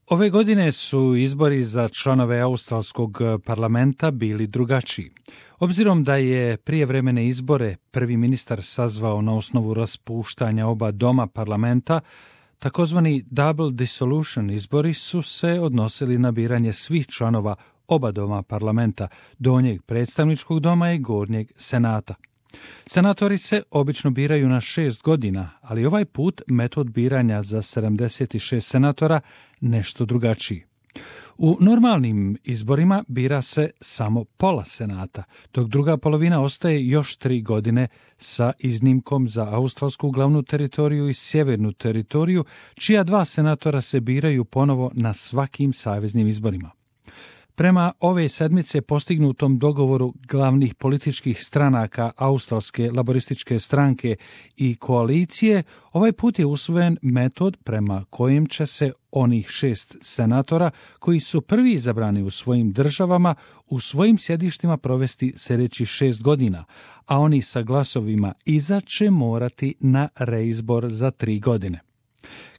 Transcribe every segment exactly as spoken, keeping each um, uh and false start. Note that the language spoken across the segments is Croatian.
Ove godine su izbori za članove australskog parlamenta bili drugačiji. Obzirom da je prijevremene izbore prvi ministar sazvao na osnovu raspuštanja oba doma parlamenta, takozvani double dissolution izbori su se odnosili na biranje svih članova oba doma parlamenta, donjeg predstavničkog doma i gornjeg senata. Senatori se obično biraju na šest godina, ali ovaj put metod biranja za sedamdeset šest senatora nešto drugačiji. U normalnim izborima bira se samo pola senata, dok druga polovina ostaje još tri godine sa iznimkom za australsku glavnu teritoriju i sjevernu teritoriju, čija dva senatora se biraju ponovo na svakim saveznim izborima. Prema ove sedmice postignutom dogovoru glavnih političkih stranaka Australske laborističke stranke i koalicije, ovaj put je usvojen metod prema kojem će se onih šest senatora koji su prvi izabrani u svojim državama u svojim sjedištima provesti sljedećih šest godina, a oni sa glasovima iza će morati na reizbor za tri godine.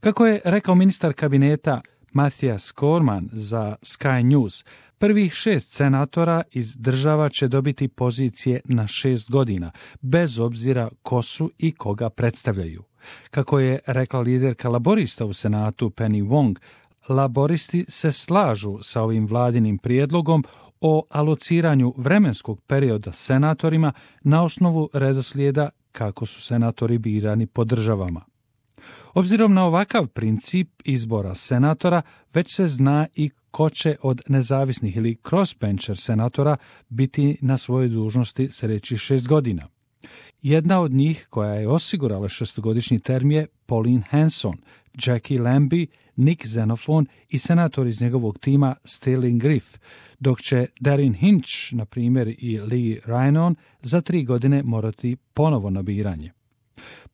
Kako je rekao ministar kabineta Matthias Cormann za Sky News, prvih šest senatora iz država će dobiti pozicije na šest godina, bez obzira ko su i koga predstavljaju. Kako je rekla liderka laborista u Senatu Penny Wong, laboristi se slažu sa ovim vladinim prijedlogom o alociranju vremenskog perioda senatorima na osnovu redoslijeda kako su senatori birani po državama. Obzirom na ovakav princip izbora senatora, već se zna i ko će od nezavisnih ili crossbencher senatora biti na svojoj dužnosti sljedećih šest godina. Jedna od njih koja je osigurala šestogodišnji term je Pauline Hanson, Jackie Lambie, Nick Xenophon i senator iz njegovog tima Sterling Griff, dok će Darren Hinch, na primjer, i Lee Rhiannon za tri godine morati ponovo na biranje.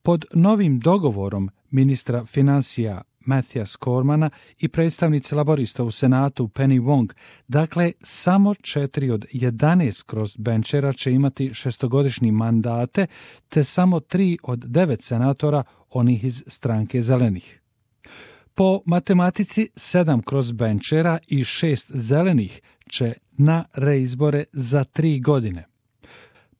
Pod novim dogovorom ministra financija Matthias Cormanna i predstavnice laborista u Senatu Penny Wong, dakle samo četiri od jedanaest crossbenchera će imati šestogodišnji mandate, te samo tri od devet senatora onih iz stranke zelenih. Po matematici sedam crossbenchera i šest zelenih će na reizbore za tri godine.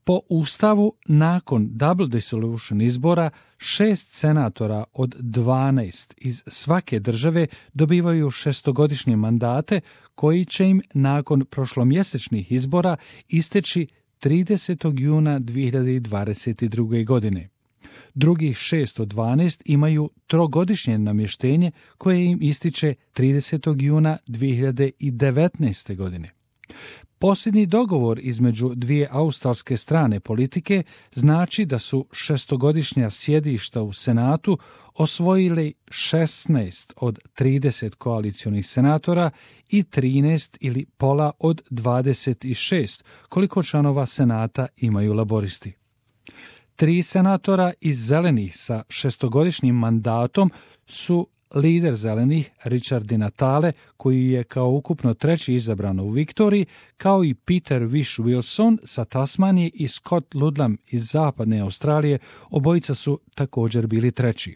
Po Ustavu, nakon double dissolution izbora, šest senatora od dvanaest iz svake države dobivaju šestogodišnje mandate koji će im nakon prošlomjesečnih izbora isteći tridesetog juna dvije hiljade dvadeset druge. godine. Drugih šest od dvanaest imaju trogodišnje namještenje koje im ističe tridesetog juna dvije hiljade devetnaeste. godine. Posljednji dogovor između dvije australske strane politike znači da su šestogodišnja sjedišta u Senatu osvojili šesnaest od trideset koalicionih senatora i trinaest ili pola od dvadeset šest, koliko članova Senata imaju laboristi. Tri senatora iz zelenih sa šestogodišnjim mandatom su lider zelenih Richard Di Natale, koji je kao ukupno treći izabran u Viktoriji, kao i Peter Whish-Wilson sa Tasmanije i Scott Ludlam iz zapadne Australije, obojica su također bili treći.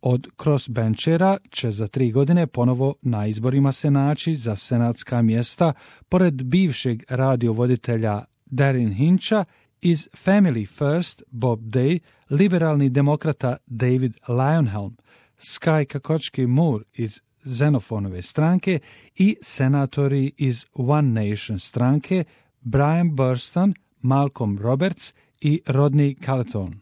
Od crossbenchera će za tri godine ponovo na izborima se naći za senatska mjesta, pored bivšeg radiovoditelja Darren Hincha, iz Family First Bob Day, liberalni demokrata David Leyonhjelm, Sky Kakočki-Moore iz Xenophonove stranke i senatori iz One Nation stranke Brian Burston, Malcolm Roberts i Rodney Carleton.